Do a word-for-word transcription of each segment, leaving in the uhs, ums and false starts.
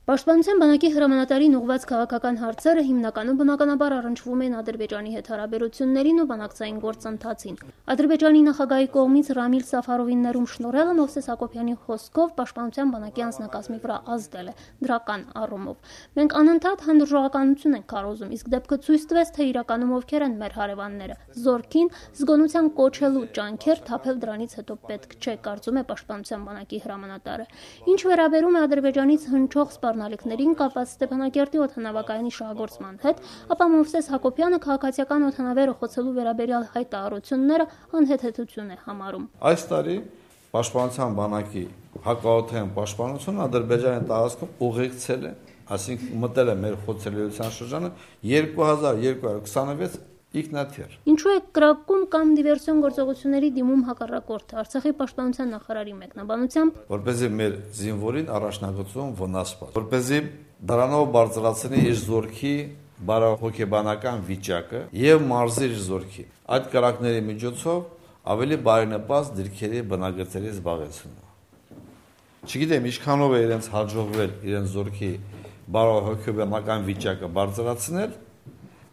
Պաշտպանության բանակի հրամանատարին ուղղված քաղաքական հարցերը հիմնականում բնականաբար առնչվում են Ադրբեջանի հետ հարաբերություններին ու բանակցային գործընթացին։ Ադրբեջանի նախագահի կողմից Ռամիլ Սաֆարովին ներում շնորհելը Մովսես Հակոբյանի խոսքով պաշտպանության բանակի անձնակազմի վրա ազդել է դրական առումով։ Մենք անընդհատ հանդուրժողականություն ենք քարոզում, իսկ դեպքը ցույց տվեց, թե իրականում ովքեր են մեր հարևանները։ Զորքին զգոնության կոչելու ջանքեր թափել դրանից հետո պետք չէ, կարծում է պաշտպանության բանակի հրամանատարը։ Ինչ վերաբերում է Ադրբեջանից հնչող սպառնալիքներին կապված Ստեփանակերտի օդանավակայանի շահագործման հետ, ապա Մովսես Հակոբյանը քաղաքացիական օդանավերը խոցելու վերաբերյալ հայտարարությունները անհեթեթություն է համարում։ Այս տարի պաշտպանության բանակի հակաօդային պաշտպանությունը Ադրբեջանի տարածքում ուղեկցել է, այսինքն մտել է մեր խոցելիության շրջանը երկու հազար երկու հարյուր քսանվեց ինքնաթիռ։ Ինչու է կրակում կամ դիվերսիոն գործողությունների դիմում հակառակորդը։ Արցախի պաշտպանության նախարարի մեկնաբանությամբ, որպեսզի մեր զինվորին առաջնագծում վնաս սպասի, որպեսզի դրանով բարձրացնի իր զորքի բարոյական վիճակը եւ մարզի իր զորքի։ Այդ կրակների միջոցով ավելի բարենպաստ դիրքերի բնագծերի զբաղեցումը։ Չգիտեմ ինչքանով է իրենց հաջողվել իրենց զորքի բարոյական վիճակը բարձրացնել,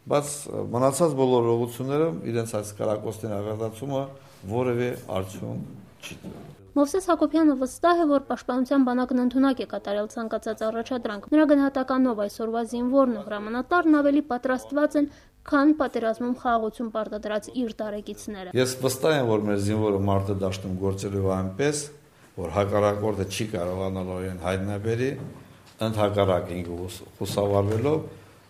բայց մնացած բոլոր ուղղությունները իրենց այս կրակոցների աղետացումը որևէ արդյունք չի տվել։ Մովսես Հակոբյանը վստահ է, որ պաշտպանության բանակն ընդունակ է կատարել ցանկացած առաջադրանք։ Նրա գնահատականով այսօրվա զինվորն ու հրամանատարն ավելի պատրաստված են, քան պատերազմում խաղաղություն պարտադրած իր տարեկիցները։ Ես վստահ եմ, որ մեր զինվորը մարտը դաշտում գործելու է այնպես, որ հակառակորդը չի կարողանալու իրեն հայտնաբերի, ընդհակառակ ինքը խուսավարվելով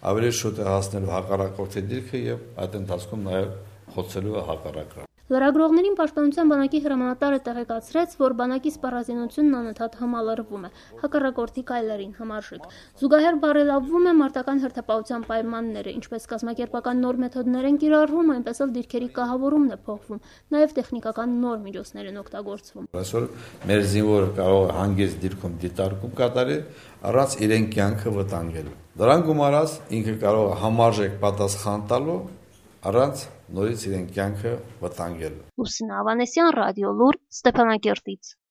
ավելի շուտ է հասնելու հակառակորդի դիրքը եւ այդ ընթացքում նաեւ խոցելու է հակառակորդը։ Լրագրողներին պաշտպանության բանակի հրամանատարը տեղեկացրեց, որ բանակի սպառազինությունն անընդհատ համալրվում է հակառակորդի քայլերին համարժեք։ Զուգահեռ բարելավվում է մարտական հերթապահության պայմանները, ինչպես կազմակերպական նոր մեթոդներ են կիրառվում, այնպես էլ դիրքերի կահավորումն է փոխվում, նաեւ տեխնիկական նոր միջոցներ են օգտագործվում։ Այսօր մեր զինվորը կարող է հանգիստ դիրքում դիտարկում կատարել առանց իրեն կյանքը վտանգելու։ Դրան գումարած ինքը կարող է համարժեք պատասխան տալու առանց նորից իրեն կյանքը վտանգելու։ Լուսինե Ավանեսյան, Ռադիո Լուր, Ստեփանակերտից։